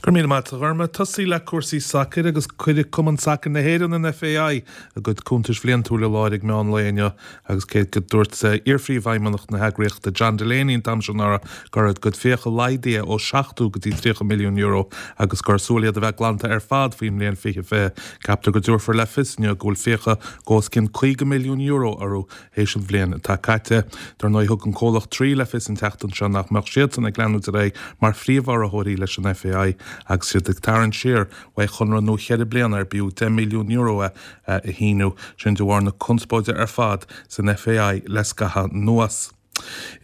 Go raibh míle maith agat a Ghormlaith. Tosaí le cúrsaí sacair agus cuirfidh Cumann Sacair na hÉireann, an FAI, a gcuid cuntais bhliantúil i láthair ag meán lae inniu agus cé go dúirt iar-phríomhfheidhmeannach na heagraíochta John Delaney an t-am seo anuraidh go raibh a gcuid fiacha laghdaithe ó €70 go dtí €30 milliún agus gur súil iad a bheith glanta ar fad faoin mbliain 2020, ceaptar go dtabharfar le fios inniu go bhfuil fiacha go os cionn €50 milliún orthu théis an bhliain atá caite. Dar ndóigh, thug an comhlacht Three le fios an tseachtain seo nach mbeadh siadsan ag leanúint ar aghaidh mar phríomh-urraitheoirí leis an FAI agus iad ag tarraingt siar uaidh chonradh nua cheithre bliana ar b'fhiú €10 milliún é a shíniú, sin de bharr na conspóide ar fad san FAI le scaitheamh anuas.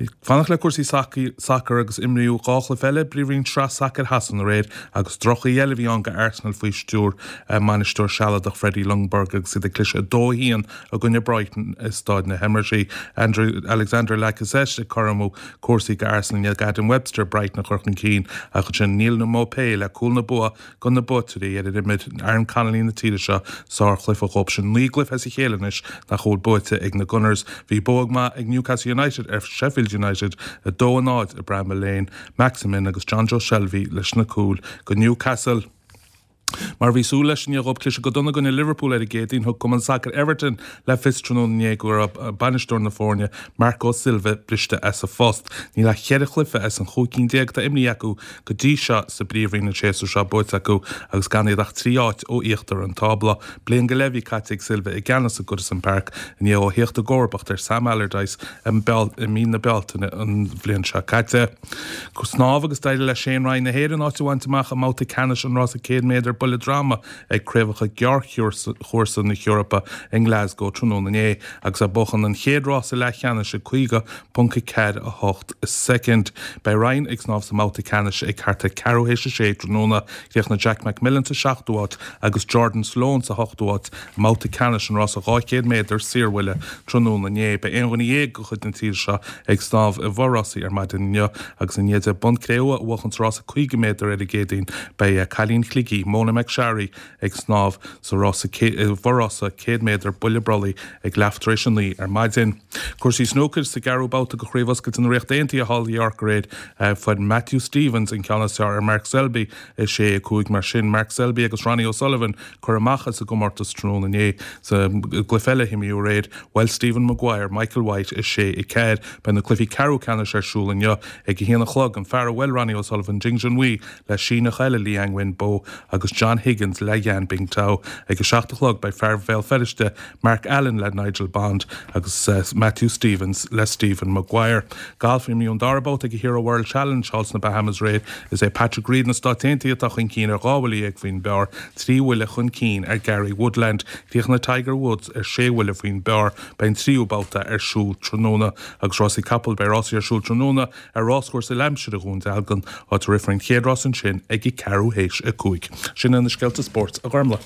Ag fanacht le cúrsaí sacair agus imríodh 2 chluiche eile i bPríomhroinn Sraith Sacair Shasana aréir agus droch-oíche eile a bhí ann do Arsenal faoi stiúir a mbainisteoir sealadach Freddie Ljungberg agus iad ag cliseadh 2-1 i gcoinne Brighton i Stáid na hEmirates. Alexandre Lacazette ag cothromú cúrsaí do Arsenal i ndiaidh Adam Webster Brighton a chur chun cinn ach ansin Neal Maupay le cúl na bua do na buaiteoirí ar imir Aaron Connolly na tíre seo sárchluiche dhóibh. Sin 9 gcluiche as a chéile anois nach bhfuil buaite ag na Gunners. Bhí bua maith ag Newcastle United ar Sheffield United, 2-0 i Bramall Lane. Maximin agus Jonjo Shelvey leis na cúil do Newcastle. Mar a bhí súil leis i ndiaidh dhóibh cliseadh go dona i gcoinne Liverpool ar an gCéadaoin, thug cumann sacair Everton le fios tráthnóna inné go raibh bainisteoir na foirne, Marco Silva, briste as a phost. Níl ach cheithre chluiche as an chúig cinn déag atá imrithe acu go dtí seo sa bPríomhroinn an séasúr seo buaite acu agus gan iad ach 3 áit ó íochtar an tábla. Bliain go leith a bhí caite ag Silva i gceannas i Goodison Park i ndiaidh dó theacht i gcomharbacht ar Sam Allardyce i mí na Bealtaine an bhliain seo caite. Snámh agus d'éirigh le Shane Ryan na hÉireann áit a bhaint amach i mbabhta ceannais an rása 100 méadar buille droma ag Craobhacha Gearrchúrsa na hEorpa i nGlasgow tráthnóna inné agus é ag buachan an chéad rása leathcheannais i 50.48 soicind. Beidh Ryan ag snámh sa mbabhta ceannais ag thart ar ceathrú théis a sé tráthnóna. Chríochnaigh Jack McMillan sa seachtú háit agus Jordan Sloan sa hochtú háit i mbabhta ceannais an rása 200 méadar saorbhuille tráthnóna inné. Beidh aon dhuine dhéag de chuid na tíre seo ag snámh i bhforásaí ar maidin inniu agus i ndiaidh di bonn cré-umha a bhuachan sa rása 50 méadar ar an gCéadaoin beidh cailín Shligigh, Mona McSharry, ag snámh sa rása i bhforrása 100 méadar buille brollaigh ag leath tar éis a 9 ar maidin. Cúrsaí snúcair sa gceathrú babhta de Chraobh Oscailte na Ríochta Aontaithe thall i York aréir fuair Matthew Stevens an ceann is fearr ar Mark Selby, 6, 5. Mar sin, Mark Selby agus Ronnie O'Sullivan curtha amach as an gcomórtas tráthnóna inné. Sa gcluiche eile a himríodh aréir, bhuail Stephen Maguire Michael White 6, 4. Beidh na cluichí ceathrú ceannais ar siúl inniu ag a haon a chlog. An fear a bhuail Ronnie O'Sullivan, Ding Junhui, le Síneach eile, Liang Wenbo, agus John Higgins le Yan Bingtao. Ag a 7 a chlog beidh fear Bhéal Feirste, Mark Allen le Nigel Bond agus Matthew Stevens le Stephen Maguire. Galf, Imríodh an dara babhta ag an Hero World Challenge thall sna Bahamas aréir. Is é Patrick Reed na Stáit Aontaithe atá chun cinn ar 12 bhuille faoin bpar, 3 bhuille chun cinn ar Gary Woodland. Chríochnaigh Tiger Woods ar 6 bhuille faoin bpar. Beidh an tríú babhta ar siúl tráthnóna. Agus rásaí capall, beidh rásaí ar siúl tráthnóna ar ráschúrsa Lampshire i Dhún Dealgan, áit a rithfear an chéad rás ansin ag a ceathrú théis a 5. Sin iad na scéalta spóirt, a Ghormlaith.